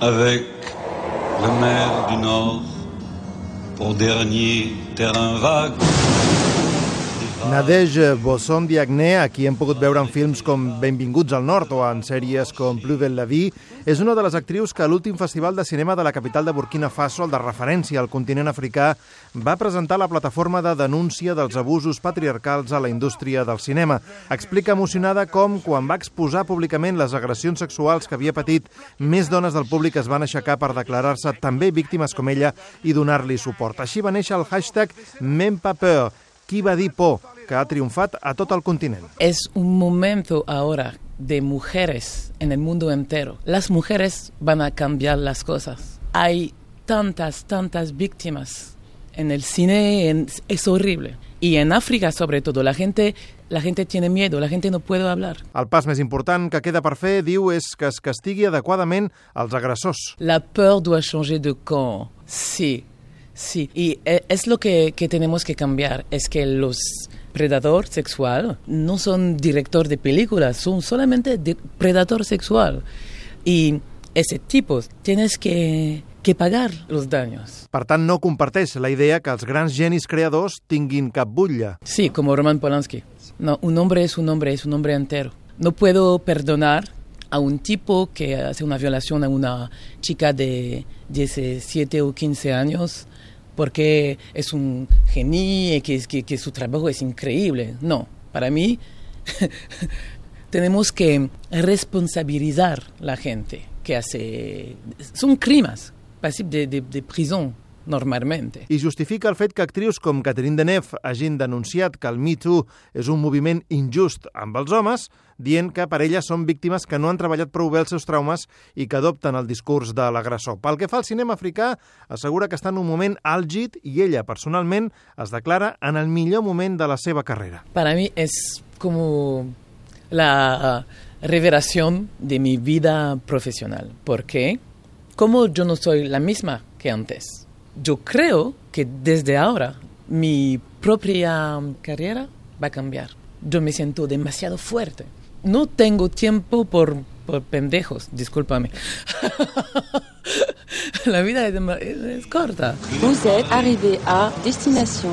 avec la mer du Nord pour dernier terrain vague. Nadège Bossondiagne, a qui hem pogut veure en films com Benvinguts al Nord o en sèries com Plus belle la vie, és una de les actrius que a l'últim festival de cinema de la capital de Burkina Faso, el de referència al continent africà, va presentar la plataforma de denúncia dels abusos patriarcals a la indústria del cinema. Explica emocionada com, quan va exposar públicament les agressions sexuals que havia patit, més dones del públic es van aixecar per declarar-se també víctimes com ella i donar-li suport. Així va néixer el hashtag Même pas peur, qui va dir por, que ha triomfat a tot el continent. Es un momento ahora de mujeres en el mundo entero. Las mujeres van a cambiar las cosas. Hay tantas víctimas en el cine, es horrible. Y en África, sobre todo, la gente tiene miedo, la gente no puede hablar. El pas més important que queda per fer, diu, és que es castigui adequadament els agressors. La peur doit changer de camp, sí. Sí, y es lo que tenemos que cambiar, es que los predadores sexuales no son director de películas, son solamente predador sexual. Y ese tipo tienes que pagar los daños. Per tant, no comparteix la idea que els grans genis creadors tinguin cap butlla. Sí, como Roman Polanski. No, un hombre es un hombre entero. No puedo perdonar a un tipo que hace una violación a una chica de 17 o 15 años porque es un genio y que su trabajo es increíble. No, para mí tenemos que responsabilizar a la gente que hace... Son crímenes pasibles de prisión normalmente. I justifica el fet que actrius com Catherine Deneuve hagin denunciat que el Me Too és un moviment injust amb els homes, dient que per elles són víctimes que no han treballat prou bé els seus traumes i que adopten el discurs de l'agressor. Pel que fa al cinema africà, assegura que està en un moment àlgid i ella, personalment, es declara en el millor moment de la seva carrera. Para mí es como la revelación de mi vida profesional, porque como yo no soy la misma que antes, yo creo que desde ahora mi propia carrera va a cambiar. Yo me siento demasiado fuerte. No tengo tiempo por pendejos, discúlpame. La vida es corta. Vous êtes arrivé à destination.